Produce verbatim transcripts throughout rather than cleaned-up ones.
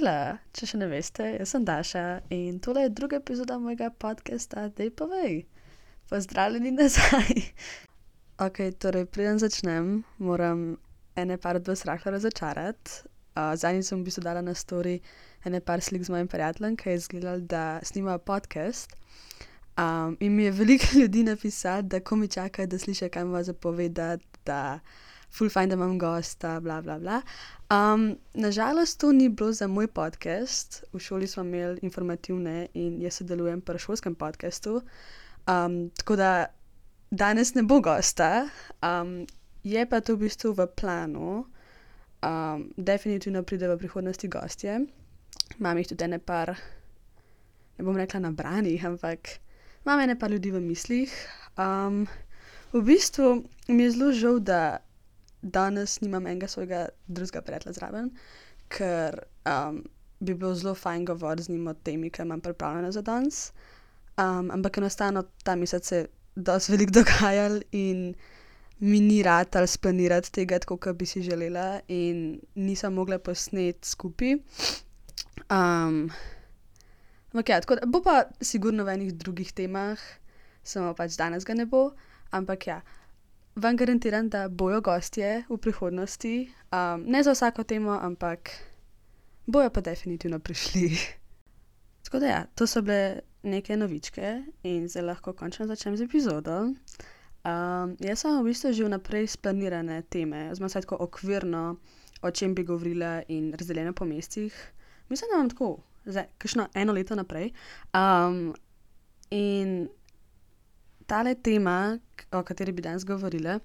Hejla, če še ne veste, jaz sem Daša in tole je druga epizoda mojega podcasta Dej povej. Pozdravljeni nazaj. Ok, torej preden začnem, moram ene par od vas rahlo razočarati. Uh, zadnjič sem v bistvu dala na story ene par slik z mojim prijateljem, ki je izgledal, da snimajo podcast. Um, in mi je veliko ljudi napisalo, da ko mi čakajo, da slišijo, kaj ima za povedati, da ful fajn, da imam gosta, bla bla bla. Um, nažalost to ni bilo za moj podcast. V šoli smo imeli informativne in jaz sodelujem pri šolskem podcastu. Um, tako da danes ne bo gosta. Um, je pa to v bistvu v planu. Um, definitivno pride v prihodnosti gostje. Imam jih tudi ene par, ne bom rekla nabranih, ampak imam ene par ljudi v mislih. Um, v bistvu mi je zelo žal, da danes nimam enega svojega drugega prijatelja zraven, ker um, bi bilo zelo fajn govoriti z njim o temi, ki imam pripravljeno za danes. Um, ampak enostavno ta mesec se je dosti veliko dogajalo in mi ni ratalo splanirati tega tako, kot bi si želela, in nisem mogla posneti skupaj. Um, ampak ja, tako da bo pa sigurno v enih drugih temah, samo pač danes ga ne bo, ampak ja. Vam garantiram, da bojo gostje v prihodnosti, um, ne za vsako temo, ampak bojo pa definitivno prišli. Tako da ja, to so bile neke novičke in zdaj lahko končno začnem z epizodo. Um, jaz sem v bistvu že vnaprej splanirane teme, oziroma vsaj tako okvirno, o čem bi govorila in razdeljene po mestih. Mislim, da imam tako, zdaj, kakšno eno leto naprej. Um, in tale tema, o kateri bi danes govorila,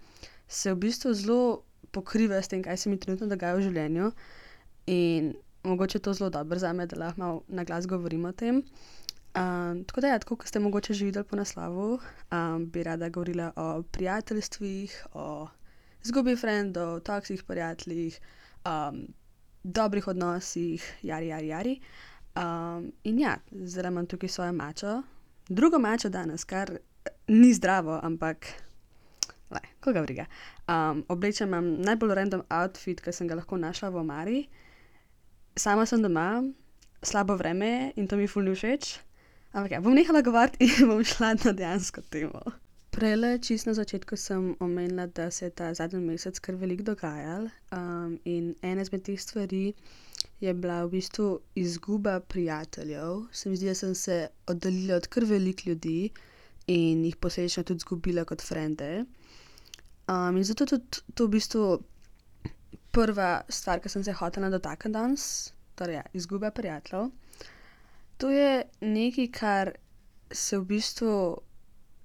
se v bistvu zelo pokriva s tem, kaj se mi trenutno dogaja v življenju, in mogoče to zelo dobro zame, da lahko malo na glas govorim o tem. Um, tako da ja, tako kot ste mogoče že videli po naslovu, um, bi rada govorila o prijateljstvih, o izgubi frendov, toksih prijateljih, um, dobrih odnosih, jari, jari, jari. Um, in ja, zdaj imam tukaj svojo mačo, drugo mačo danes, kar ni zdravo, ampak le, koga briga. Um, oblečem imam najbolj random outfit, ki sem ga lahko našla v omari. Sama sem doma, slabo vreme je in to mi ful ni všeč. Ampak ja, bom nehala govoriti in bom šla na dejansko temo. Prejle, čisto na začetku sem omenila, da se je ta zadnji mesec kar veliko dogajalo. Um, in ena izmed teh stvari je bila v bistvu izguba prijateljev. Se mi zdi, da sem se oddaljila od kar veliko ljudi in jih posledično tudi izgubila kot frende. Um, in zato tudi to v bistvu prva stvar, ki sem se hotela dotakniti danes, torej ja, izguba prijateljev. To je nekaj, kar se v bistvu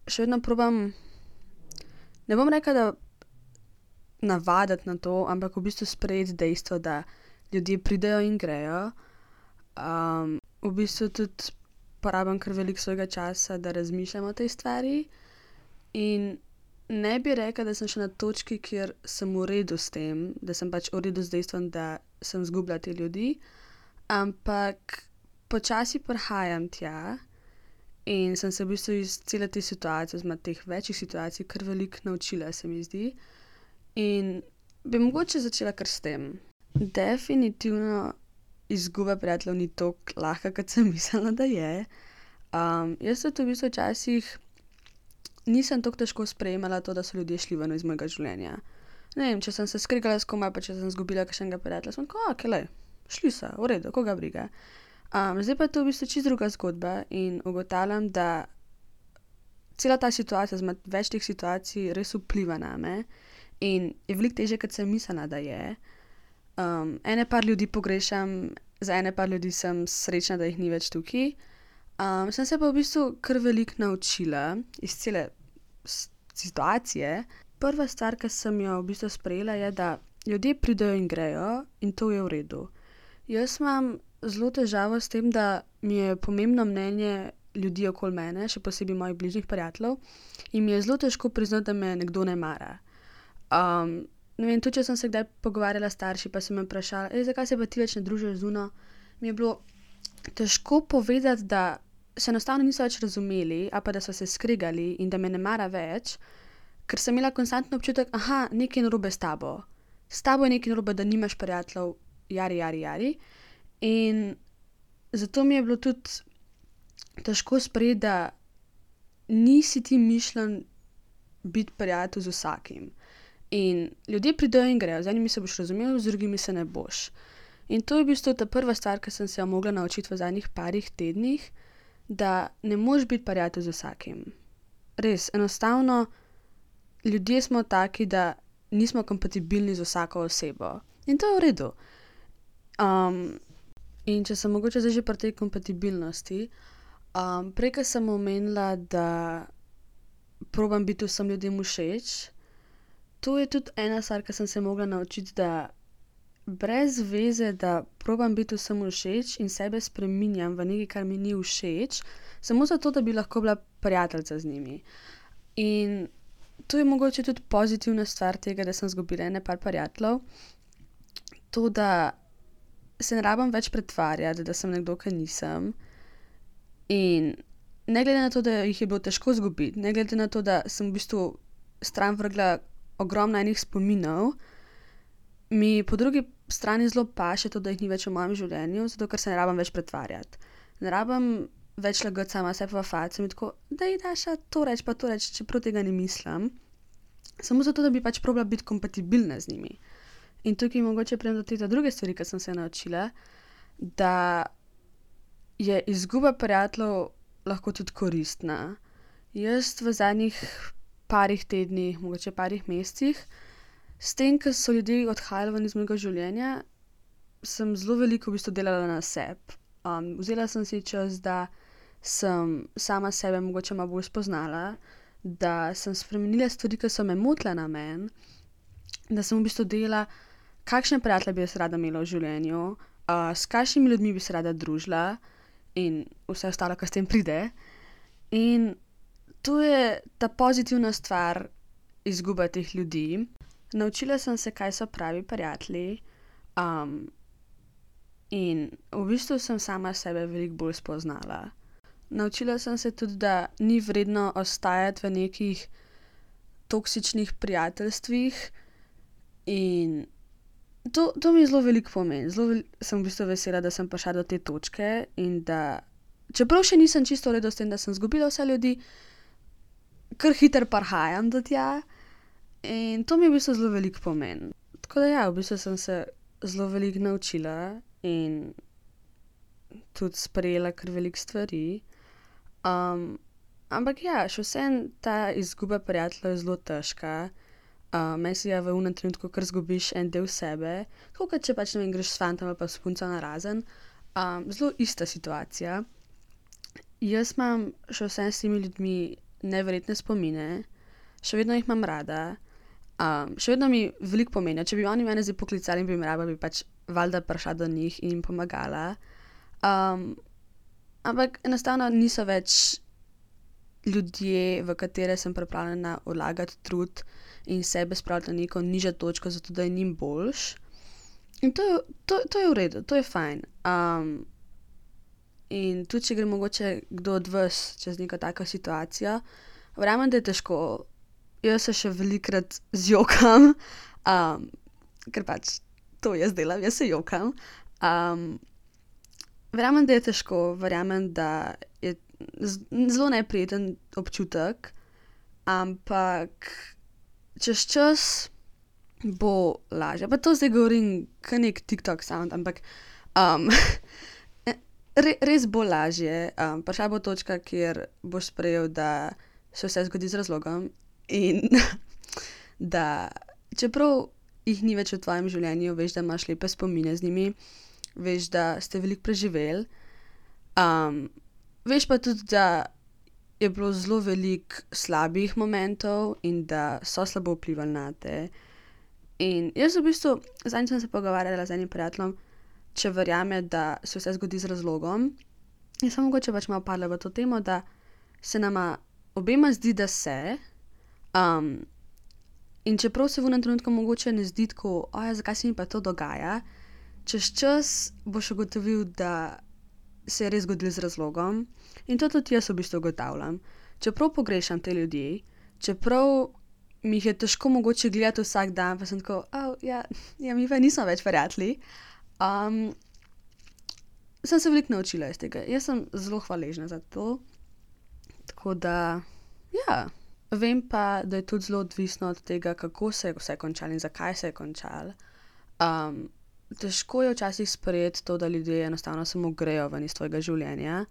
še vedno probam, ne bom rekla, da navaditi na to, ampak v bistvu sprejeti dejstvo, da ljudje pridejo in grejo. Um, v bistvu tudi porabim kar veliko svojega časa, da razmišljam o tej stvari, in ne bi rekla, da sem še na točki, kjer sem v redu s tem, da sem pač v redu z dejstvom, da sem izgubila te ljudi, ampak počasi prihajam tja in sem se v bistvu iz cele te situacije, oziroma teh večjih situacij, kar veliko naučila, se mi zdi, in bi mogoče začela kar s tem. Definitivno izguba prijateljev ni tako lahka, kot sem mislila, da je. Um, jaz tudi v bistvu včasih nisem tako težko sprejemala to, da so ljudje šli ven iz mojega življenja. Ne vem, če sem se skregala s komaj, pa če sem izgubila kakšnega prijatelja, sem tako, ok, lej, šli so, v redu, koga briga. Um, zdaj pa je to v bistvu čisto druga zgodba in ugotavljam, da cela ta situacija, oziroma več teh situacij res vpliva name in je veliko težje, kot sem mislila, da je. Um, ene par ljudi pogrešam, za ene par ljudi sem srečna, da jih ni več tukaj. Um, sem se pa v bistvu kar veliko naučila iz cele situacije. Prva stvar, ki sem jo v bistvu sprejela, je, da ljudje pridejo in grejo in to je v redu. Jaz imam zelo težavo s tem, da mi je pomembno mnenje ljudi okoli mene, še posebej mojih bližnjih prijateljev, in mi je zelo težko priznati, da me nekdo ne mara. Um, Ne vem, tudi če sem se kdaj pogovarjala s starši, pa sem me vprašala, ej, zakaj se pa ti več ne družiš z Uno, mi je bilo težko povedati, da se enostavno niso več razumeli, ali pa da so se skregali in da me ne mara več, ker sem imela konstantno občutek, aha, nekaj narobe s tabo. S tabo je nekaj narobe, da nimaš prijateljev, jari, jari, jari. In zato mi je bilo tudi težko sprejeti, da nisi ti mišljen biti prijatelj z vsakim. In ljudje pridejo in grejo, z enimi se boš razumel, z drugimi se ne boš. In to je v bistvu ta prva stvar, ki sem se jo mogla naučiti v zadnjih parih tednih, da ne moreš biti prijatelj z vsakim. Res, enostavno, ljudje smo taki, da nismo kompatibilni z vsako osebo. In to je v redu. Um, in če sem mogoče zdaj že pri tej kompatibilnosti, um, prej, ko sem omenila, da probam biti vsem ljudem všeč, to je tudi ena stvar, ki sem se mogla naučiti, da brez veze, da probam biti vsem všeč in sebe spreminjam v nekaj, kar mi ni všeč, samo zato, da bi lahko bila prijateljica z njimi. In to je mogoče tudi pozitivna stvar tega, da sem izgubila ene par prijateljev. To, da se ne rabim več pretvarjati, da sem nekdo, ki nisem. In ne glede na to, da jih je bilo težko izgubiti, ne glede na to, da sem v bistvu stran vrgla ogromno enih spominov, mi po drugi strani zelo paše to, da jih ni več v mojem življenju, zato ker se ne rabim več pretvarjati. Ne rabim več lagati sama sebe v faco in tako, da ji daš to reči, pa to reči, čeprav tega ne mislim. Samo zato, da bi pač probala biti kompatibilna z njimi. In tukaj mogoče pridem do te druge stvari, ki sem se naučila, da je izguba prijateljev lahko tudi koristna. Jaz v zadnjih parih tednih, mogoče parih mesecih, s tem, ko so ljudje odhajali ven iz mojega življenja, sem zelo veliko v bistvu delala na sebi. Um, vzela sem si čas, da sem sama sebe mogoče malo bolj spoznala, da sem spremenila stvari, ki so me motile na meni, da sem v bistvu delala, kakšne prijatelje bi jaz rada imela v življenju, uh, s kakšnimi ljudmi bi se rada družila in vse ostalo, kar s tem pride. In to je ta pozitivna stvar izguba teh ljudi. Naučila sem se, kaj so pravi prijatelji, um, in v bistvu sem sama sebe veliko bolj spoznala. Naučila sem se tudi, da ni vredno ostajati v nekih toksičnih prijateljstvih in to, to mi zelo veliko pomeni. Zelo vel- sem v bistvu vesela, da sem prišla do te točke in da, čeprav še nisem čisto v redu s tem, da sem izgubila vse ljudi, kar hitro prihajam do tja in to mi v bistvu zelo veliko pomeni. Tako da ja, v bistvu sem se zelo veliko naučila in tudi sprejela kar veliko stvari. Um, ampak ja, še vseeno ta izguba prijateljev je zelo težka. Uh, meni se je v unem trenutku, ker zgubiš en del sebe, tako kot če pač ne vem, greš s fantom ali pa s punco na razen. Um, zelo ista situacija. Jaz imam še vseeno s temi ljudmi neverjetne spomine, še vedno jih imam rada, um, še vedno mi veliko pomenijo. Če bi oni mene zdaj poklicali in bi me raba, bi pač valjda prišla do njih in jim pomagala. Um, ampak enostavno niso več ljudje, v katere sem pripravljena vlagati trud in sebe spraviti na neko nižjo točko, zato da je njim boljš. In to, je- to, to je v redu, to je fajn. Um, in tudi, če gre mogoče kdo od vas čez neko tako situacijo, verjamem, da je težko. Jaz se še velikokrat zjokam, um, ker pač to jaz delam, jaz se jokam. Um, verjamem, da je težko, verjamem, da je z- zelo neprijeten občutek, ampak čez čas bo lažje. Pa to zdaj govorim kot nek TikTok sound, ampak um, re, res bo lažje. Um, prišla bo točka, kjer boš sprejel, da se vse zgodi z razlogom in da čeprav jih ni več v tvojem življenju, veš, da imaš lepe spomine z njimi, veš, da ste veliko preživeli, um, veš pa tudi, da je bilo zelo veliko slabih momentov in da so slabo vplivali na te. In jaz v bistvu, zadnjič sem se pogovarjala z enim prijateljem, če verjame, da se vse zgodi z razlogom. In sem mogoče pač malo padla v to temo, da se nama obema zdi, da se. Um, in čeprav se v enem trenutku mogoče ne zdi tako, oja, zakaj se mi pa to dogaja, čez čas boš ugotovil, da se je res zgodilo z razlogom. In to tudi jaz v bistvu ugotavljam. Čeprav pogrešam te ljudi, čeprav mi jih je težko mogoče gledati vsak dan, pa sem tako, oh, ja, ja, mi pa nismo več prijatelji. Um, sem se veliko naučila iz tega. Jaz sem zelo hvaležna za to. Tako da, ja. Vem pa, da je tudi zelo odvisno od tega, kako se je vse končalo in zakaj se je končalo. Um, težko je včasih sprejeti to, da ljudje enostavno samo grejo ven iz tvojega življenja.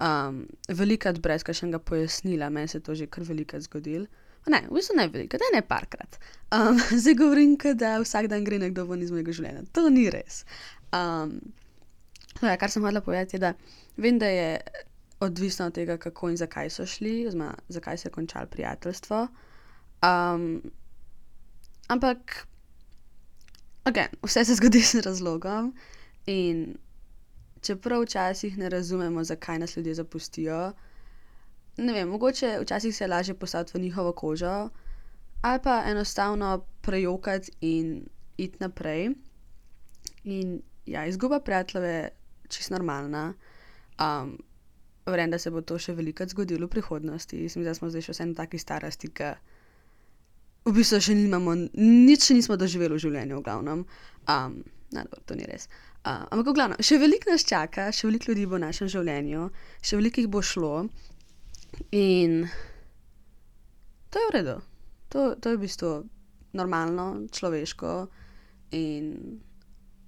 Um, velikrat brez kakšnega pojasnila, meni se je to že kar velikrat zgodilo. Ne, v bistvu ne velikrat, ne parkrat. Um, zdaj govorim, da vsak dan gre nekdo ven iz mojega življenja. To ni res. Um, ja, kar sem hotela povedati, je, da vem, da je odvisno od tega, kako in zakaj so šli, oziroma zakaj se je končalo prijateljstvo. Um, ampak, okay, vse se zgodi z razlogom in čeprav včasih ne razumemo, zakaj nas ljudje zapustijo, ne vem, mogoče včasih se je lažje postaviti v njihovo kožo ali pa enostavno prejokati in iti naprej. In ja, izguba prijateljev je čisto normalna. Um, Verjamem, da se bo to še velikokrat zgodilo v prihodnosti. Mislim, da smo zdaj še vse na taki starosti, ki v bistvu še nimamo, nič še nismo doživeli v življenju, v glavnem. Um, ne, dobro, to ni res. Uh, ampak v glavnem, še veliko nas čaka, še veliko ljudi bo v našem življenju, še veliko jih bo šlo in to je v redu. To, to je v bistvu normalno, človeško in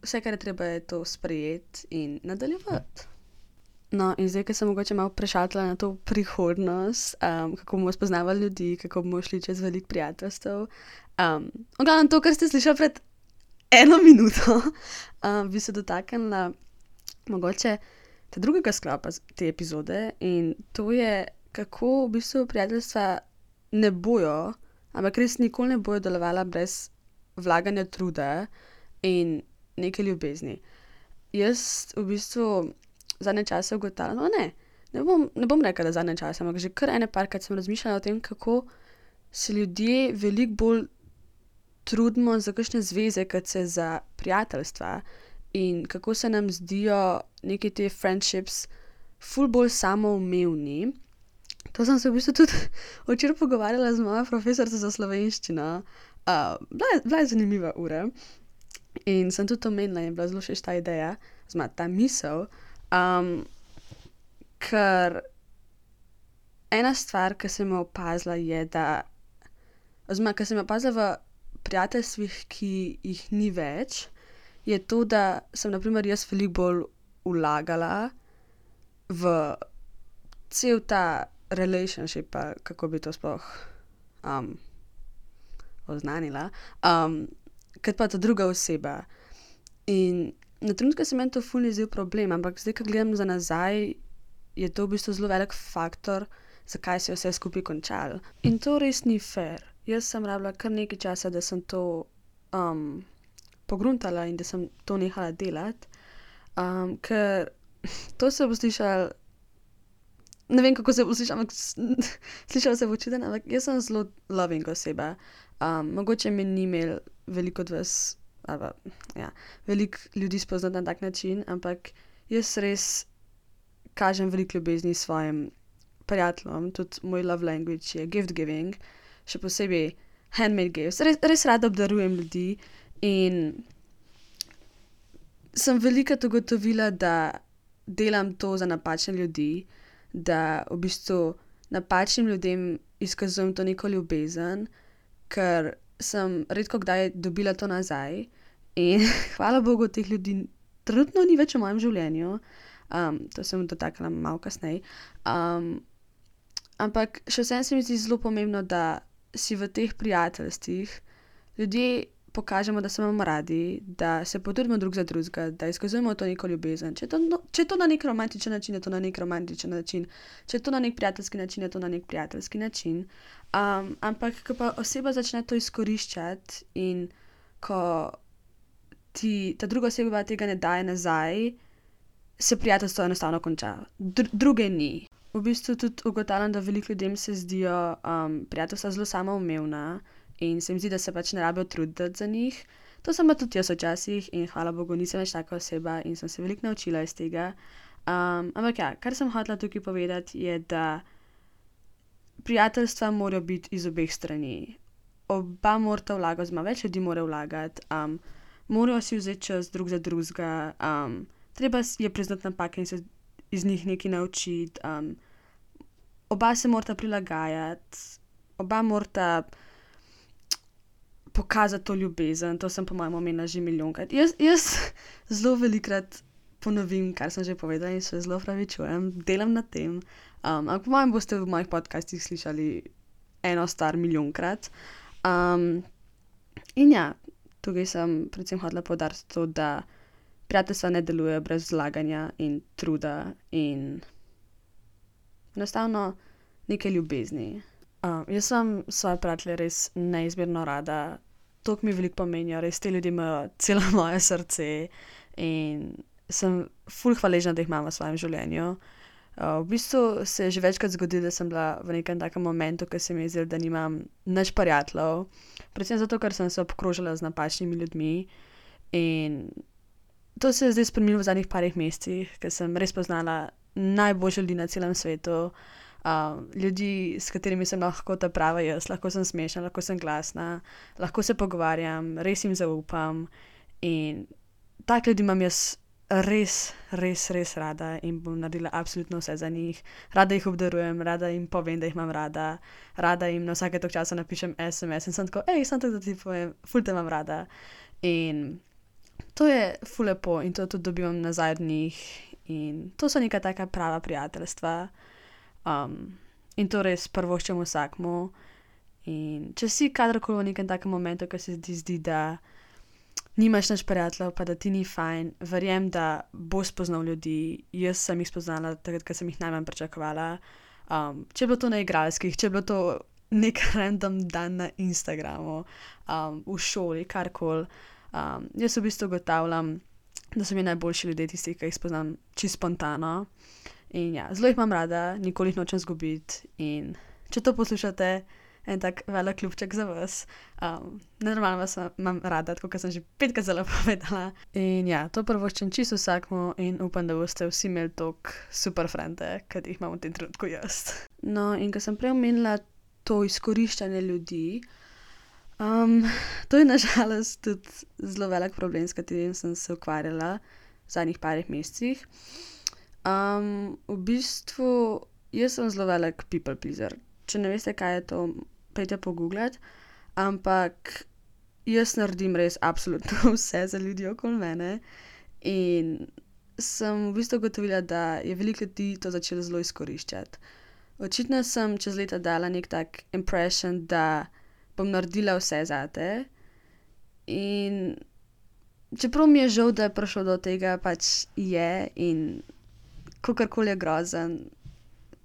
vse, kar je treba, je to sprejeti in nadaljevati. No, in zdaj, ker sem mogoče malo prešatila na to prihodnost, um, kako bomo spoznavali ljudi, kako bomo šli čez veliko prijateljstev. Um, v glavnem to, kar ste slišali pred eno minuto, um, bi se dotaknila mogoče te drugega sklopa te epizode in to je, kako v bistvu prijateljstva ne bojo, ampak res nikoli ne bojo delovala brez vlaganja truda in neke ljubezni. Jaz v bistvu zadnje čase ugotavljam, no ne, ne bom, ne bom rekla, da zadnje čase, ampak že kar ene parkrat sem razmišljala o tem, kako se ljudje veliko bolj trudimo za kakšne zveze, kot se za prijateljstva in kako se nam zdijo neki te friendships ful bolj samoumevni. To sem se v bistvu tudi včeraj pogovarjala z mojo profesorico za slovenščino. Uh, bila, je, bila je zanimiva ura in sem tudi omenila in je bila zelo všeč ta ideja, oziroma ta misel. Um, ker ena stvar, ki sem jo opazila, je, da oziroma, ki sem jo opazila v prijateljstvih, ki jih ni več, je to, da sem na primer jaz veliko bolj vlagala v cel ta relationship, pa kako bi to sploh um, oznanila, um, kot pa ta druga oseba. In na trenutke se meni to ful ni zdel problem, ampak zdaj, ko gledam za nazaj, je to v bistvu zelo velik faktor, zakaj se je vse skupaj končalo. In to res ni fair. Jaz sem rabila kar nekaj časa, da sem to um, pogruntala in da sem to nehala delati, um, ker to se bo slišalo, ne vem, kako se bo slišalo, ampak slišalo se bo čuden, ampak jaz sem zelo loving oseba. Um, mogoče me ni imel veliko od vas, ali ja, veliko ljudi spoznati na tak način, ampak jaz res kažem veliko ljubezni svojim prijateljem, tudi moj love language je gift giving, še posebej handmade gifts. Res, res rada obdarujem ljudi in sem velikokrat ugotovila, da delam to za napačne ljudi, da v bistvu napačnim ljudem izkazujem to neko ljubezen, ker sem redko kdaj dobila to nazaj in hvala Bogu, teh ljudi trenutno ni več v mojem življenju. Um, to sem dotaknila malo kasneje. Um, ampak še vsem se mi zdi zelo pomembno, da si v teh prijateljstvih ljudje pokažemo, da se imamo radi, da se potrudimo drug za drugega, da izkazujemo to neko ljubezen. Če je to, no, če je to na nek romantičen način, je to na nek romantičen način. Če je to na nek prijateljski način, je to na nek prijateljski način. Um, ampak, ko pa oseba začne to izkoriščati in ko ti ta druga oseba tega ne daje nazaj, se prijateljstvo enostavno konča. Dr- druge ni. V bistvu tudi ugotavljam, da veliko ljudem se zdijo um, prijateljstva zelo samoumevna in se mi zdi, da se pač ne rabijo truditi za njih. To sem pa tudi jaz včasih in hvala Bogu nisem več taka oseba in sem se veliko naučila iz tega. Um, ampak ja, kar sem hotela tukaj povedati je, da prijateljstva morajo biti iz obeh strani. Oba morata vlagati, oziroma več ljudi mora vlagati, um, morajo si vzeti čas drug za drugega, um, treba je priznati napake in se iz njih nekaj naučiti. Um, oba se morata prilagajati, oba morata pokazati to ljubezen, to sem po mojem omenila že milijonkrat. Jaz, jaz zelo velikrat ponovim, kar sem že povedala in se zelo opravičujem, delam na tem. Um, ampak po mojem boste v mojih podcastih slišali eno stvar milijonkrat. Um, in ja, tukaj sem predvsem hotela poudariti to, da prijateljstva ne delujejo brez vlaganja in truda in enostavno neke ljubezni. Um, jaz sem svoje prijatelje res neizmerno rada, toliko mi veliko pomenijo, res te ljudje imajo celo moje srce in sem ful hvaležna, da jih imam v svojem življenju. Uh, v bistvu se je že večkrat zgodilo, da sem bila v nekem takem momentu, ko se mi je zdelo, da nimam nič prijateljev, predvsem zato, ker sem se obkrožila z napačnimi ljudmi in to se je zdaj spremenilo v zadnjih parih mesecih, ker sem res poznala najboljše ljudi na celem svetu, um, ljudi, s katerimi sem lahko ta prava jaz, lahko sem smešna, lahko sem glasna, lahko se pogovarjam, res jim zaupam in tak ljudi imam jaz res, res, res rada in bom naredila absolutno vse za njih. Rada jih obdarujem, rada jim povem, da jih imam rada, rada jim na vsake toliko časa napišem es em es in sem tako, ej, sem tako, da ti povem, ful te imam rada. In to je ful lepo in to tudi dobivam nazaj od njih in to so neka taka prava prijateljstva. Um, in to res prvoščem vsakmu. In če si kadarkoli v nekem takem momentu, ko se ti zdi, da nimaš nič prijateljev, pa da ti ni fajn, verjem, da boš spoznal ljudi. Jaz sem jih spoznala takrat, ko sem jih najmanj pričakovala. Um, če je bilo to na igralskih, če je bilo to nek random dan na Instagramu, um, v šoli, karkoli. Um, jaz v bistvu ugotavljam, da so mi najboljši ljudje tisti, ki jih spoznam čisto spontano. In ja, zelo jih imam rada, nikoli jih nočem zgubiti. In če to poslušate, en tak velik ljubček za vas. Um, Nenormalno vas imam rada, tako kot sem že petkrat zelo povedala. In ja, to prvoščem čisto vsakmu in upam, da boste vsi imeli toliko super frende, kot jih imam v tem trenutku jaz. No, in ko sem prej omenila to izkoriščanje ljudi, um, to je nažalost tudi zelo velik problem, s katerim sem se ukvarjala v zadnjih parih mesecih. Um, v bistvu, jaz sem zelo velik people pleaser. Če ne veste, kaj je to, pejte pogooglati, ampak jaz naredim res absolutno vse za ljudi okoli mene in sem v bistvu ugotovila, da je veliko ljudi to začelo zelo izkoriščati. Očitno sem čez leta dala nek tak impression, da bom naredila vse zate in čeprav mi je žal, da je prišlo do tega, pač je in kakorkoli je grozen,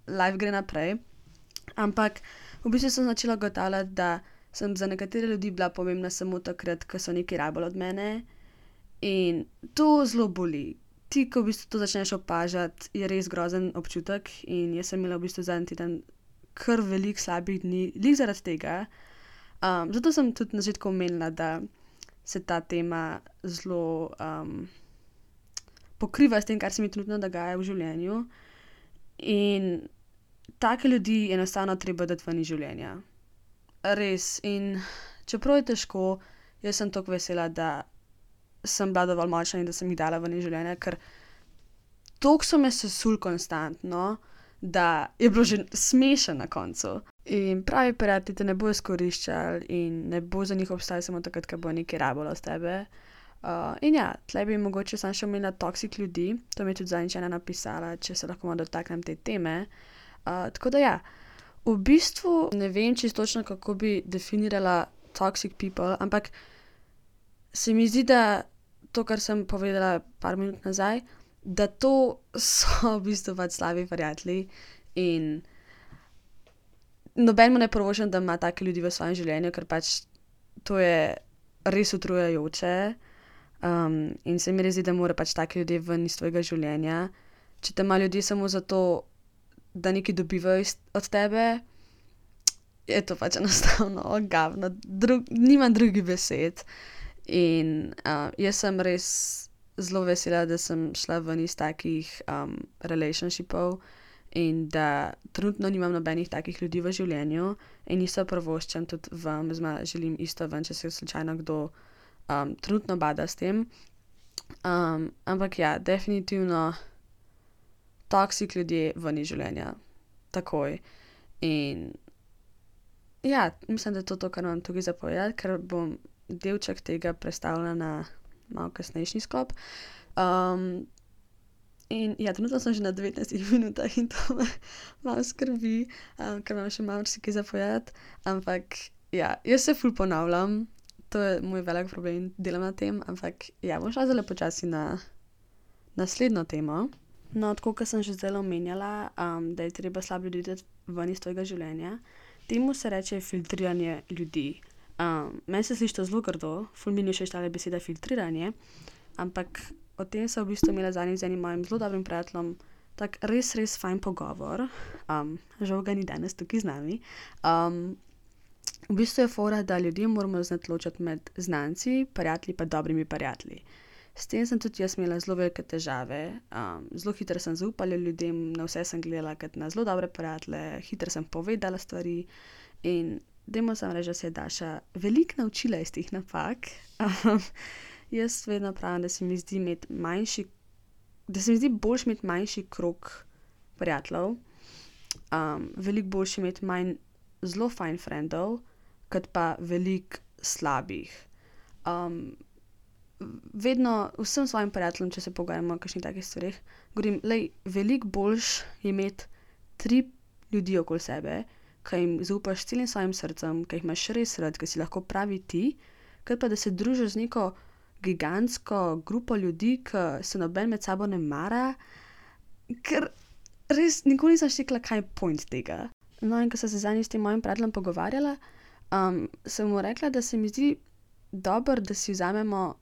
life gre naprej. Ampak v bistvu sem začela ugotavljati, da sem za nekatere ljudi bila pomembna samo takrat, ko so nekaj rabili od mene in to zelo boli. Ti, ko v bistvu to začneš opažati, je res grozen občutek in jaz sem imela v bistvu zadnji teden kar veliko slabih dni, glih zaradi tega. Um, zato sem tudi na začetku omenila, da se ta tema zelo um, pokriva s tem, kar se mi trenutno dogaja v življenju in take ljudi enostavno treba dati ven iz življenja. Res. In čeprav je težko, jaz sem toliko vesela, da sem bila dovolj močna in da sem jih dala ven iz življenja, ker toliko so me sesuli konstantno, da je bilo že smešno na koncu. In pravi prijatelji te ne bo izkoriščali in ne bo za njih obstajal samo takrat, ko bo nekaj rabilo od tebe. Uh, in ja, tle bi mogoče sam še omenila toksik ljudi, to mi je tudi zadnjič ena napisala, če se lahko malo dotaknem te teme. Uh, tako da ja, v bistvu ne vem čisto točno, kako bi definirala toxic people, ampak se mi zdi, da to, kar sem povedala par minut nazaj, da to so v bistvu pač slabi prijatelji in noben mu ne prvoščam, da ima take ljudi v svojem življenju, ker pač to je res utrujajoče um, in se mi res zdi, da mora pač take ljudje ven iz tvojega življenja. Če te ima ljudje samo zato, da nekaj dobivajo od tebe, je to pač enostavno ogavno, Drug, nimam drugih besed. In uh, jaz sem res zelo vesela, da sem šla ven iz takih um, relationshipov in da trenutno nimam nobenih takih ljudi v življenju in isto prvoščam tudi vam, oziroma želim isto ven, če se slučajno kdo um, trenutno bada s tem. Um, ampak ja, definitivno toksik ljudje ven iz življenja. Takoj. In ja, mislim, da je to to, kar imam tukaj za povedati, ker bom delček tega prestavila na malo kasnejši sklop. Um, in ja, trenutno sem že na devetnajstih minutah in to me malo skrbi, um, ker imam še malo marsikaj za povedati. Ampak ja, jaz se ful ponavljam, to je moj velik problem, delam na tem, ampak ja, bom šla zdajle počasi na naslednjo temo. No, tako kot sem že zdaj omenjala, um, da je treba slabe ljudi dati ven iz tvojega življenja, temu se reče filtriranje ljudi. Um, meni se sliši to zelo grdo, ful mi ni všeč tale beseda filtriranje, ampak o tem sem v bistvu imela zadnjič z enim mojim zelo dobrim prijateljem tak res, res fajn pogovor. Um, žal ga ni danes tukaj z nami. Um, v bistvu je fora, da ljudje moramo znati ločiti med znanci, prijatelji pa dobrimi prijatelji. S tem sem tudi jaz imela zelo velike težave. Um, zelo hitro sem zaupala ljudem, na vse sem gledala kot na zelo dobre prijatelje, hitro sem povedala stvari in dajmo samo reči, da se je Daša veliko naučila iz teh napak. Um, jaz vedno pravim, da se mi zdi imeti manjši, da se mi zdi boljše imeti manjši krog prijateljev, um, veliko boljše imeti manj zelo fajn frendov, kot pa veliko slabih. Um, vedno vsem svojim prijateljem, če se pogovarjamo o kakšnih takih stvareh, govorim, lej, veliko boljše je imeti tri ljudi okoli sebe, ki jim zaupaš s celim svojim srcem, ki jih imaš res rad, ki si lahko pravi ti, kot pa da se družiš z neko gigantsko grupo ljudi, ki se noben med sabo ne mara, ker res nikoli nisem štekla, kaj je point tega. No, in ko sem se zadnjič s tem mojim prijateljem pogovarjala, um, sem mu rekla, da se mi zdi dobro, da si vzamemo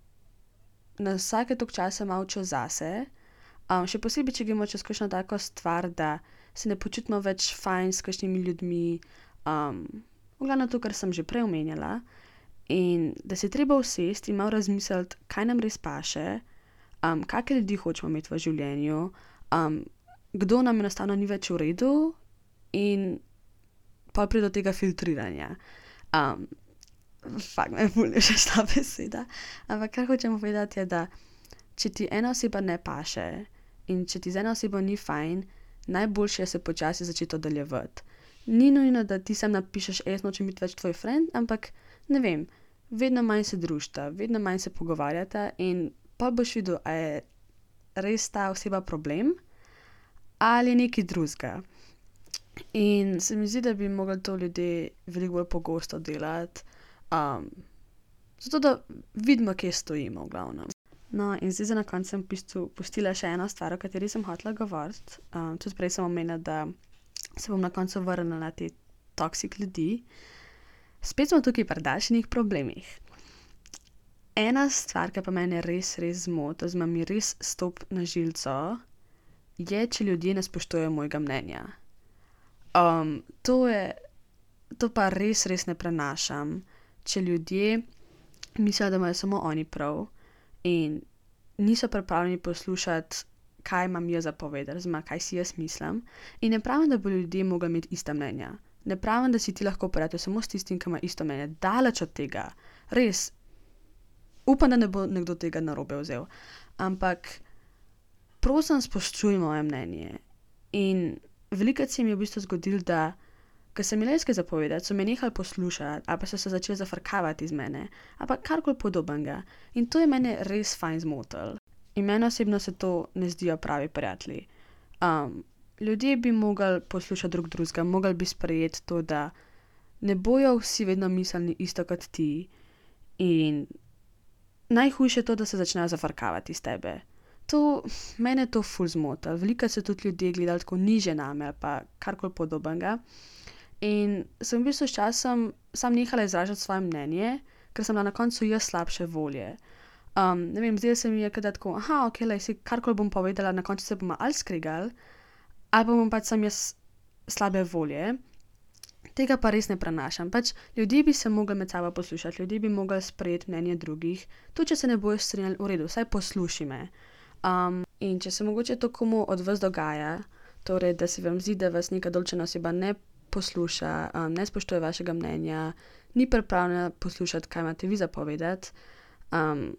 na vsake toliko časa malo čas zase, um, še posebej, če gremo čez kakšno tako stvar, da se ne počutimo več fajn s kakšnimi ljudmi, um, v glavnem to, kar sem že prej omenjala, in da se je treba usesti in malo razmisliti, kaj nam res paše, um, kakšne ljudi hočemo imeti v življenju, um, kdo nam enostavno ni več v redu in pa pride do tega filtriranja. Um, fakt, me ful je še ta beseda. Ampak kar hočem povedati je, da če ti ena oseba ne paše in če ti z eno osebo ni fajn, najboljše je se počasi začeti oddaljevati. Ni nujno, da ti sam napišeš, jaz nočem biti več tvoj friend, ampak ne vem, vedno manj se družita, vedno manj se pogovarjata in pa boš videl, a je res ta oseba problem ali je nekaj drugega. In se mi zdi, da bi mogli to ljudje veliko bolj pogosto delati, um, zato da vidimo, kje stojimo v glavnem. No, in zdaj za na koncu sem v bistvu pustila še eno stvar, o kateri sem hotela govoriti. Um, tudi prej sem omenila, da se bom na koncu vrnila na te toksik ljudi. Spet smo tukaj pri Dašinih problemih. Ena stvar, ki pa mene res, res zmoti, oziroma mi res stopi na žilco, je, če ljudje ne spoštujejo mojega mnenja. Um, to je, to pa res, res ne prenašam, če ljudje mislijo, da imajo samo oni prav in niso pripravljeni poslušati, kaj imam jaz zapovedati, oziroma kaj si jaz mislim. In ne pravim, da bo ljudje mogli imeti ista mnenja. Ne pravim, da si ti lahko prijatelj samo s tistim, ki ima isto mnenje. Daleč od tega. Res. Upam, da ne bo nekdo tega narobe vzel. Ampak prosim, spoštuj moje mnenje. In velikokrat se mi je v bistvu zgodilo, da ko sem imela nekaj zapovedati, so me nehali poslušati, ali pa so se začeli zafrkavati iz mene, ali pa karkoli podobnega. In to je mene res fajn zmotilo. In meni osebno se to ne zdijo pravi prijatelji. Um, ljudje bi mogli poslušati drug drugega, mogli bi sprejeti to, da ne bojo vsi vedno mislili isto kot ti. In najhujše je to, da se začnejo zafrkavati iz tebe. To, mene to ful zmota. Veliko se tudi ljudje gledali tako niže name ali pa karkoli podobnega. In sem v bistvu s časom sam nehala izražati svoje mnenje, ker sem bila na koncu jaz slabše volje. Um, ne vem, zdaj se mi je kada tako, aha, ok, lej, si karkoli bom povedala, na koncu se bomo ali skregali, ali pa bom pač sam jaz slabe volje. Tega pa res ne prenašam. Pač ljudje bi se mogli med sabo poslušati, ljudje bi mogli sprejeti mnenje drugih. Tudi če se ne bojo strinjali, v redu, vsaj posluši me. Um, in če se mogoče to komu od vas dogaja, torej, da se vam zdi, da vas neka določena oseba ne posluša, um, ne spoštuje vašega mnenja, ni pripravljena poslušati, kaj imate vi zapovedati, um,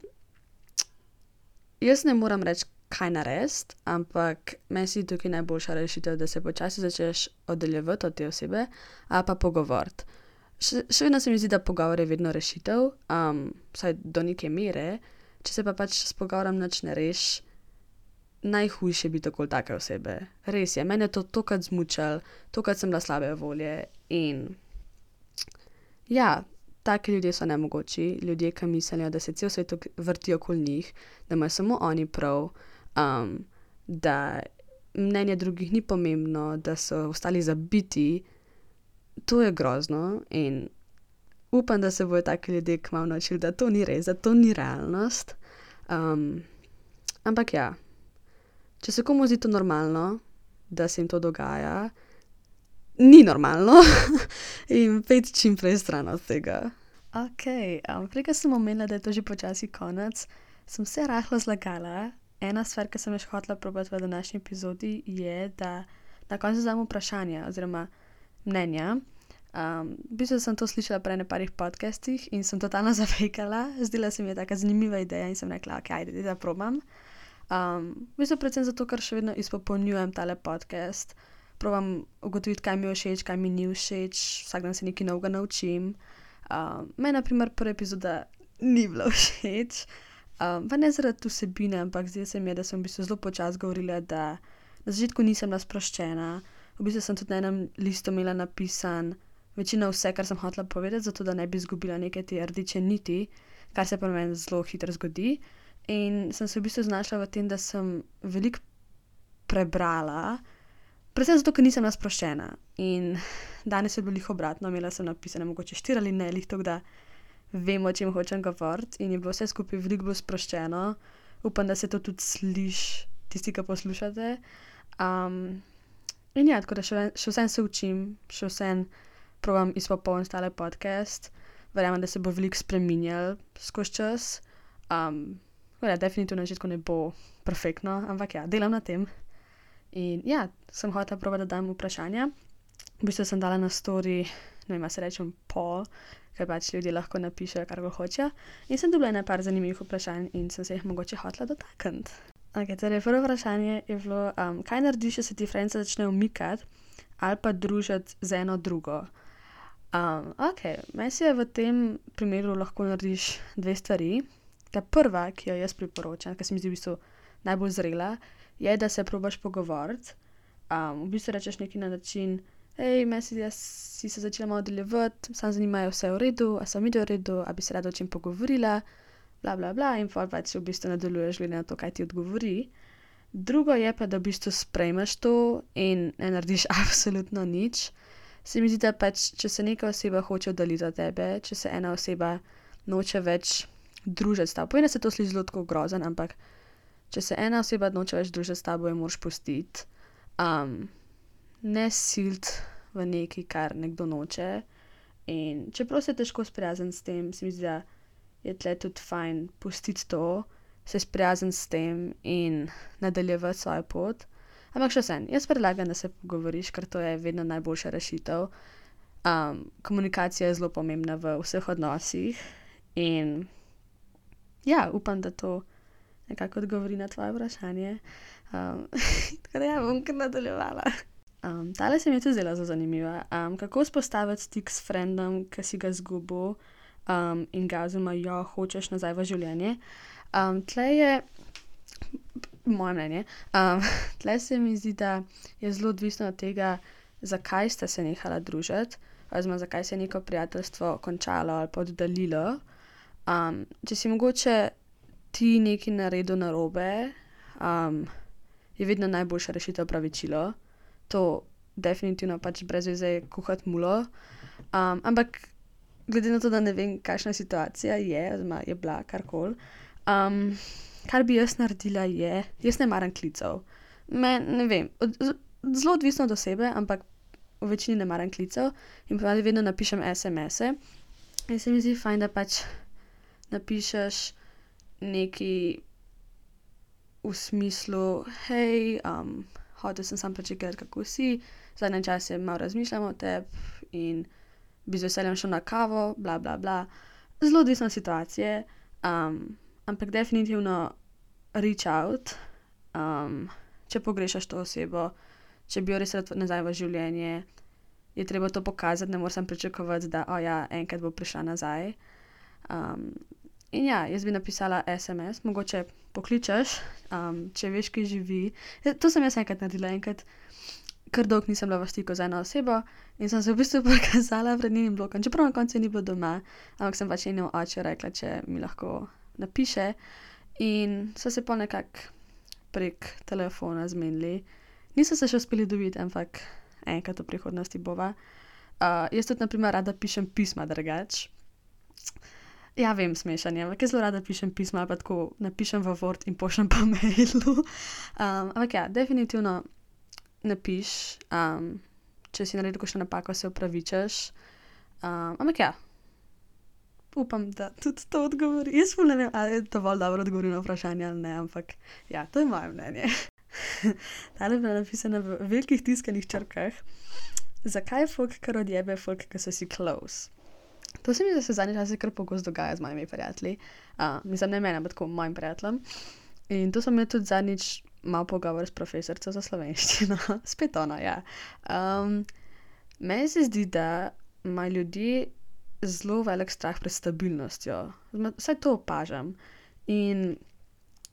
jaz ne moram reči, kaj narediti, ampak meni se zdi tukaj najboljša rešitev, da se počasi začneš oddaljevati od te osebe ali pa pogovoriti. Še, še vedno se mi zdi, da pogovor je vedno rešitev, um, vsaj do neke mere, če se pa pač s pogovorom nič ne reši, najhujše biti okoli take osebe. Res je, mene je to tokrat zmučalo, tokrat sem bila slabe volje in ja, taki ljudje so nemogoči, ljudje, ki mislijo, da se cel svet vrti okoli njih, da imajo samo oni prav, um, da mnenje drugih ni pomembno, da so ostali zabiti. To je grozno in upam, da se bojo taki ljudje kmalu naučili, da to ni res, da to ni realnost. Um, ampak ja, če se komu zdi to normalno, da se jim to dogaja, ni normalno in pejte čim prej stran od tega. Ok, um, prej, ko sem omenila, da je to že počasi konec, sem se rahlo zlagala. Ena stvar, ki sem jo še hotela probati v današnji epizodi, je, da na koncu dam vprašanja oziroma mnenja. Um, v bistvu sem to slišala prej na parih podcastih in sem totalno zafejkala. Zdela se mi je taka zanimiva ideja in sem rekla, ok, ajde, da probam. Um, v bistvu predvsem zato, ker še vedno izpopolnjujem tale podcast. Probam ugotoviti, kaj mi je všeč, kaj mi ni všeč, vsak dan se nekaj novega naučim. Um, meni, na primer, prva epizoda ni bila všeč, um, pa ne zaradi vsebine, ampak zdaj se mi je, da sem v bistvu zelo počasi govorila, da na začetku nisem bila sproščena. V bistvu sem tudi na enem listu imela napisan večino vse, kar sem hotela povedati, zato da ne bi izgubila neke te rdeče niti, kar se pa meni zelo hitro zgodi. In sem se v bistvu znašla v tem, da sem veliko prebrala, predvsem zato, ker nisem bila sproščena. In danes je bilo lih obratno, imela sem napisane mogoče štiri ali ne, lih tako, da vem, o čem hočem govoriti in je bilo vse skupaj veliko bolj sproščeno. Upam, da se to tudi sliši, tisti, ki poslušate. Um, in ja, tako da še, še vsem se učim, še vsem probam izpopolniti tale podcast. Verjamem, da se bo veliko spreminjal skozi čas. Um, ja, definitivno na začetku ne bo perfektno, ampak ja, delam na tem. In ja, sem hotela probati, da dam vprašanja. V bistvu sem dala na story, ne vem, se rečem pol, ker pač ljudje lahko napišejo, kar go hočejo. In sem dobila nekaj zanimivih vprašanj in sem se jih mogoče hotela dotakniti. Ok, torej prvo vprašanje je bilo, um, kaj narediš, če se ti friendse začnejo umikati ali pa družiti z eno drugo? Um, ok, meni se v tem primeru lahko narediš dve stvari. Ta prva, ki jo jaz priporočam, ki se mi zdi v bistvu najbolj zrela, je, da se probaš pogovoriti. Um, v bistvu rečeš nekaj na način, hej, meni se zdi, da si se začela malo oddaljevati, samo zanimajo vse v redu, a sem videl v redu, a bi se rada o čem pogovorila, bla, bla, bla, in pa pač v bistvu nadaljuješ glede na to, kaj ti odgovori. Drugo je pa, da v bistvu sprejmeš to in ne narediš absolutno nič. Se mi zdi, da pač, če se neka oseba hoče oddaljiti od tebe, če se ena oseba noče več družiti s tabo, povem, da se to sliši zelo tako grozen, ampak če se ena oseba noče več družiti s tabo, jo moraš pustiti. Um, ne siliti v nekaj, kar nekdo noče. In čeprav se težko sprijazniti s tem, se mi zdi, da je tle tudi fajn pustiti to, se sprijazniti s tem in nadaljevati svojo pot. Ampak še vsem, jaz predlagam, da se pogovoriš, ker to je vedno najboljša rešitev. Um, komunikacija je zelo pomembna v vseh odnosih in ja, upam, da to nekako odgovori na tvoje vprašanje. Um, tako da ja, bom kar nadaljevala. Um, tale se mi je tudi zdela zelo zanimiva. Um, kako vzpostaviti stik s friendom, ki si ga izgubil um, in ga oziroma jo hočeš nazaj v življenje. Um, tle je, moje mnenje, um, tle se mi zdi, da je zelo odvisno od tega, zakaj sta se nehala družiti, oziroma zakaj se je neko prijateljstvo končalo ali pa oddaljilo. Um, če si mogoče ti nekaj naredil narobe, um, je vedno najboljša rešitev opravičilo. To definitivno pač brez veze je kuhati mulo. Um, ampak glede na to, da ne vem, kakšna situacija je, oziroma je bila karkoli, um, kar bi jaz naredila je, jaz ne maram klicev. Me, ne vem, od, zelo odvisno od osebe, ampak v večini ne maram klicev in pa vedno napišem es em ese. In se mi zdi fajn, da pač napišeš nekaj v smislu, hej, um, hotel sem sam prečekati, kako si, zadnje čase malo razmišljam o tebi in bi z veseljem šel na kavo, bla, bla, bla. Zelo odvisno situacije, um, ampak definitivno reach out, um, če pogrešaš to osebo, če bi jo res rad nazaj v življenje, je treba to pokazati, ne moreš pričakovati, da oh, ja, enkrat bo prišla nazaj. Um, in ja, jaz bi napisala es em es, mogoče pokličeš, um, če veš, ki živi. To sem jaz enkrat naredila, enkrat kar dolgo nisem bila v stiku z eno osebo in sem se v bistvu pokazala pred njenim blokom, čeprav na koncu ni bilo doma, ampak sem pač njenemu oču rekla, če mi lahko napiše in so se pol nekako prek telefona zmenili. Niso se še uspeli dobiti, ampak enkrat v prihodnosti bova. Uh, jaz tudi, na primer, rada pišem pisma drugače. Ja, vem, smešanje, ampak jaz zelo rada pišem pisma, pa tako napišem v Word in pošljem po mailu. Um, ampak ja, definitivno napiš, um, če si naredil kakšno napako, se opravičeš. Um, ampak ja, upam, da tudi to odgovori. Jaz ful ne vem, ali je dovolj dobro odgovoril na vprašanje ali ne, ampak ja, to je moje mnenje. Tale je bila napisana v velikih tiskanih črkah. Zakaj je folk kar odjebe folk, ki so si close? To se mi zdi, da se zadnji čas kar pogosto dogaja z mojimi prijatelji. Uh, mislim, ne meni, ampak tako mojim prijateljem. In to sem imela tudi zadnjič malo pogovor s profesorico za slovenščino. Spet ona, ja. Um, meni se zdi, da imajo ljudje zelo velik strah pred stabilnostjo. Vsaj to opažam. In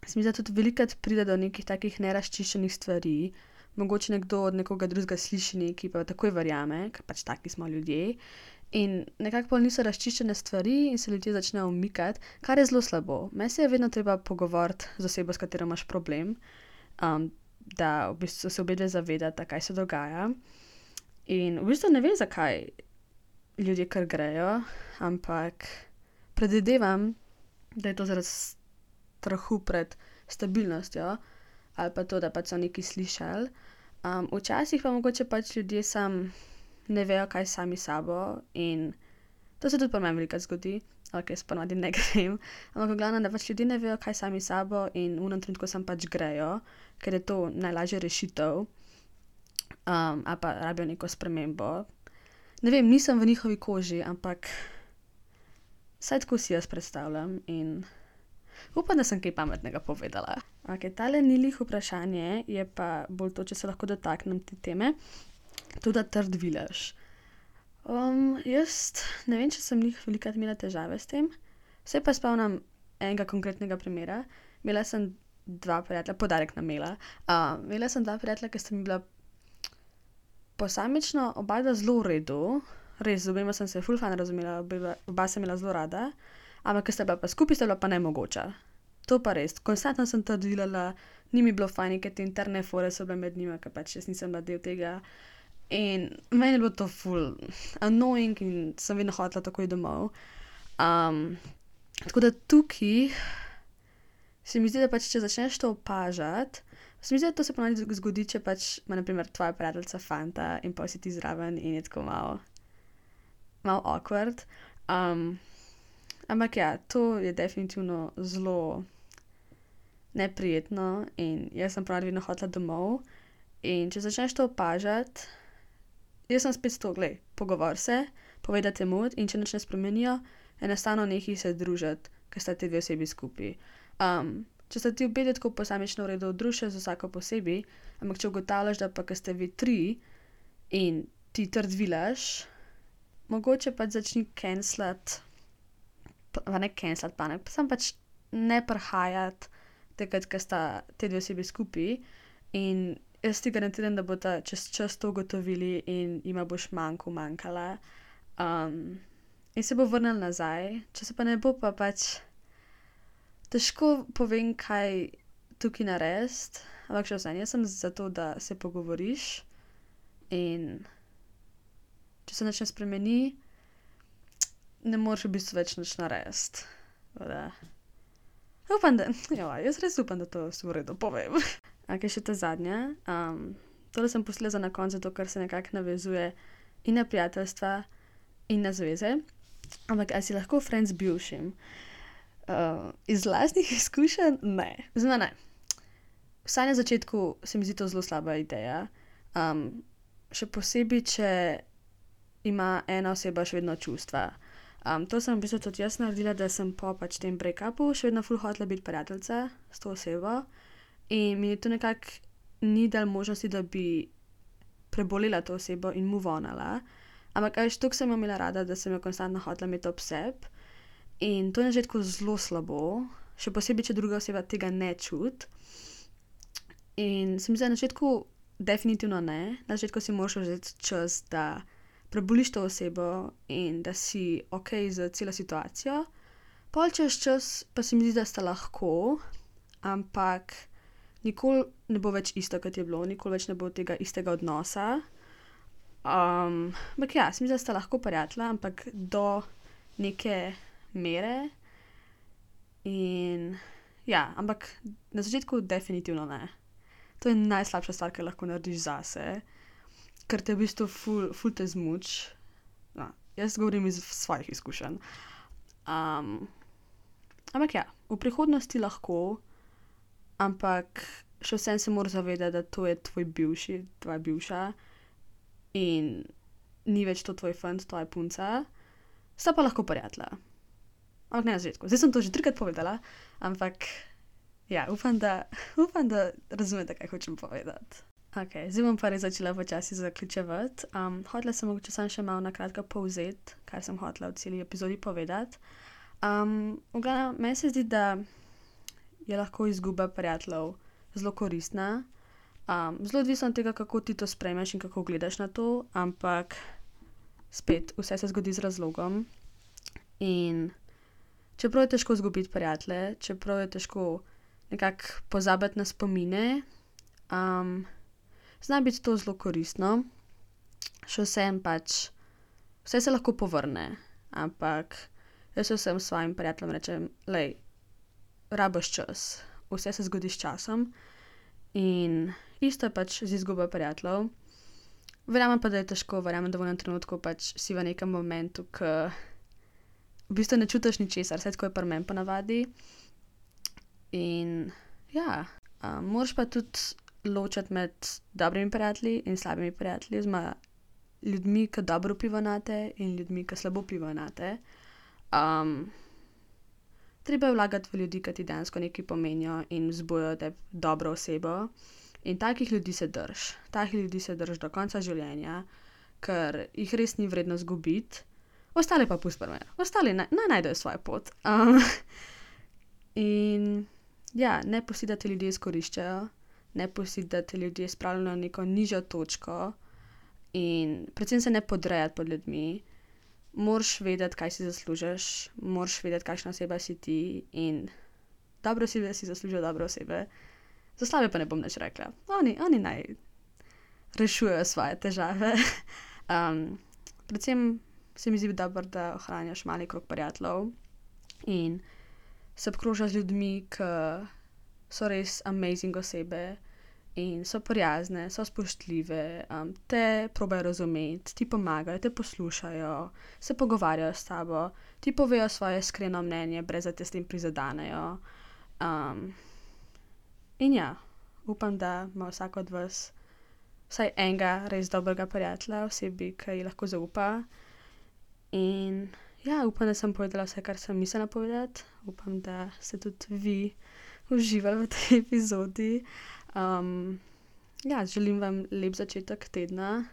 se mi zdi, da tudi velikokrat pride do nekih takih nerazčiščenih stvari. Mogoče nekdo od nekoga drugega sliši nekaj, pa takoj verjame, ker pač taki smo ljudje. In nekako pol niso razčiščene stvari in se ljudje začnejo umikati, kar je zelo slabo. Meni se je vedno treba pogovoriti z osebo, s katero imaš problem, um, da v bistvu se obedve zavedata, kaj se dogaja. In v bistvu ne vem, zakaj ljudje kar grejo, ampak predvidevam, da je to zaradi strahu pred stabilnostjo ali pa to, da pač so nekaj slišali. Um, včasih pa mogoče pač ljudje sam ne vejo, kaj sami sabo in to se tudi pri meni velikokrat zgodi, ok, jaz ponavadi ne grem, ampak v glavnem, da pač ljudje ne vejo, kaj sami sabo in v enem trenutku sam pač grejo, ker je to najlažja rešitev, um, ali pa rabijo neko spremembo. Ne vem, nisem v njihovi koži, ampak saj tako si jaz predstavljam in upam, da sem kaj pametnega povedala. Ok, tale ni lih vprašanje, je pa bolj to, če se lahko dotaknem te teme. Tudi trd vilež. Um, jaz ne vem, če sem njih velikokrat imela težave s tem. Se pa spomnim enega konkretnega primera. Imela sem dva prijatelja, podarek na imela. Uh, imela sem dva prijatelja, ki sta mi bila posamično oba dva zelo v redu. Res, z obema sem se ful fajn razumela, oba, oba sem imela zelo rada. Ampak, ker sta bila pa skupaj, sta bila pa nemogoča. To pa res. Konstantno sem trd vilala, ni mi bilo fajn, ker te interne fore so bile med njima, ker pač jaz nisem bila del tega. In meni je bilo to ful annoying in sem vedno hotela takoj domov. Um, tako da tukaj se mi zdi, da pač, če začneš to opažati, se mi zdi, da to se ponavadi zgodi, če pač ima na primer tvoja prijateljica fanta in pa si ti zraven in je tako malo, malo awkward. Um, ampak ja, to je definitivno zelo neprijetno in jaz sem ponavadi vedno hotela domov. In če začneš to opažati, jaz sem spet to, glej, pogovor se, povedati mood in če nič ne spremenijo, enostavno nehaj se družiti, ker sta ti dve osebi skupaj. Um, če sta ti obe tako posamično v redu, druži z vsako posebej, ampak če ugotavljaš, da pa, ker ste vi tri in ti trd vilaš, mogoče pač začni cancelati, pa ne cancelati pa ne, pa sam pač ne prihajati takrat, ker sta te dve osebi skupaj in jaz ti garantiram, da bo ta čez čas to ugotovili in jima boš manjko manjkala. Um, in se bo vrnil nazaj. Če se pa ne bo, pa pač težko povem, kaj tukaj narediti. Ampak še vsem, jaz sem za to, da se pogovoriš in če se nič ne spremeni, ne moreš v bistvu več nič narediti. Upam, da, jo, jaz res upam, da to v redu povem. Ok, še ta zadnja. Um, tole sem pustila za na konec, zato ker se nekako navezuje in na prijateljstva in na zveze. Ampak, ali si lahko friend z bivšim? Uh, iz lastnih izkušenj? Ne. Zdaj, ne. Vsaj na začetku se mi zdi to zelo slaba ideja. Um, še posebej, če ima ena oseba še vedno čustva. Um, to sem v bistvu tudi jaz naredila, da sem po pač tem break-upu še vedno ful hotela biti prijateljica s to osebo in mi to nekako ni dal možnosti, da bi prebolila to osebo in move onala. Ampak veš, toliko sem jo imela rada, da sem jo konstantno hotela imeti ob sebi in to je na začetku zelo slabo, še posebej, če druga oseba tega ne čuti. In se mi zdi, na začetku definitivno ne, na začetku si moraš vzeti čas, da preboliš to osebo in da si okej z celo situacijo. Pol čez čas pa se mi zdi, da sta lahko, ampak nikoli ne bo več isto, kot je bilo, nikoli več ne bo tega istega odnosa. Um, ampak ja, se mi zdi, da sta lahko prijatelja, ampak do neke mere. In ja, ampak na začetku definitivno ne. To je najslabša stvar, kar lahko narediš zase, ker te v bistvu ful, ful te zmuči. No, jaz govorim iz svojih izkušenj. Um, ampak ja, v prihodnosti lahko, ampak še vsem se moraš zavedati, da to je tvoj bivši, tvoja bivša in ni več to tvoj fant, tvoja punca. Sta pa lahko prijatelja. Ampak ne na začetku. Zdaj sem to že trikrat povedala, ampak ja, upam, da, upam, da razumete, kaj hočem povedati. Ok, zdaj bom pa res začela počasi zaključevati. Um, hotela sem mogoče samo še malo na kratko povzeti, kaj sem hotela v celi epizodi povedati. Um, v glavnem, meni se zdi, da je lahko izguba prijateljev zelo koristna. Um, zelo odvisno od tega, kako ti to sprejmeš in kako gledaš na to, ampak spet, vse se zgodi z razlogom. In čeprav je težko izgubiti prijatelje, čeprav je težko nekako pozabiti na spomine, um, zna biti to zelo koristno. Še vsem pač, vse se lahko povrne, ampak jaz vsem svojim prijateljem rečem, lej, rabiš čas, vse se zgodi s časom in isto je pač z izgubo prijateljev. Verjamem pa, da je težko, verjamem, da v enem trenutku pač si v nekem momentu, ko v bistvu ne čutiš ničesar, vse tako je pri meni ponavadi. In ja, um, moraš pa tudi ločiti med dobrimi prijatelji in slabimi prijatelji, oziroma ljudmi, ki dobro vplivajo nate in ljudmi, ki slabo vplivajo nate. Um, treba je vlagati v ljudi, ki ti dejansko nekaj pomenijo in vzbujajo te dobro osebo. In takih ljudi se drž. Takih ljudi se drž do konca življenja, ker jih res ni vredno izgubiti. Ostale pa pusti pri meni. Ostali naj, naj najdejo svojo pot. Um, in ja, ne pusti, da te ljudje izkoriščajo, ne pusti, da te ljudje spravljajo na neko nižjo točko in predvsem se ne podrejati pod ljudmi. Moraš vedeti, kaj si zaslužiš, moraš vedeti, kakšna oseba si ti in dobre osebe si zaslužijo dobre osebe. Za slabe pa ne bom nič rekla. Oni, oni naj rešujejo svoje težave. um, predvsem se mi zdi dobro, da ohranjaš mali krog prijateljev in se obkrožaš z ljudmi, ki so res amazing osebe in so prijazne, so spoštljive, um, te probajo razumeti, ti pomagajo, te poslušajo, se pogovarjajo s tabo, ti povejo svoje iskreno mnenje, brez da te s tem prizadanejo. Um, in ja, upam, da ima vsak od vas vsaj enega res dobrega prijatelja, osebi, ki ji lahko zaupa. In ja, upam, da sem povedala vse, kar sem mislila povedati. Upam, da ste tudi vi uživali v tej epizodi. Um, ja, želim vam lep začetek tedna.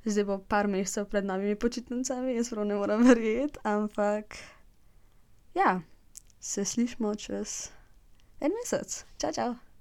Zdaj bo par mesecev pred novimi počitnicami, jaz prav ne moram verjeti, ampak ja, se slišimo čez en mesec. Čau, čau.